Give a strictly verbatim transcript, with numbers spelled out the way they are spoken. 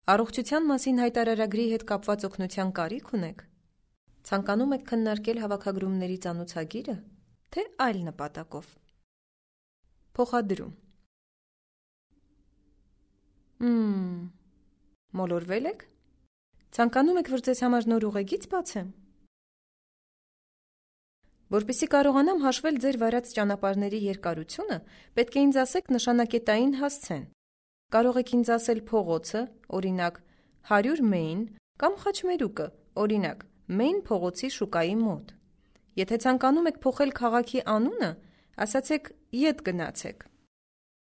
Առողջության մասին հայտարարագրի հետ կապված օգնության կարիք ունեք։ Ցանկանում եք քննարկել հավաքագրումների ծանոթագիրը, թե այլ նպատակով։ Փոխադրում։ Մմ, մոլորվե՞լ եք։ Ցանկանում եք, որ ձեզ համար նոր ուղեգիծ բացեմ։ Որպեսզի կարողանամ հաշվել ձեր վարած ճանապարհների երկարությունը, պետք է ինձ ասեք նշանակետային հասցեն։ Կարող եք ինձ ասել փողոցը, օրինակ, հարյուր Մեյն, կամ խաչմերուկը, օրինակ, Մեյն փողոցի շուկայի մոտ։ Եթե ցանկանում եք փոխել քաղաքի անունը, ասացեք՝ ետ գնացեք։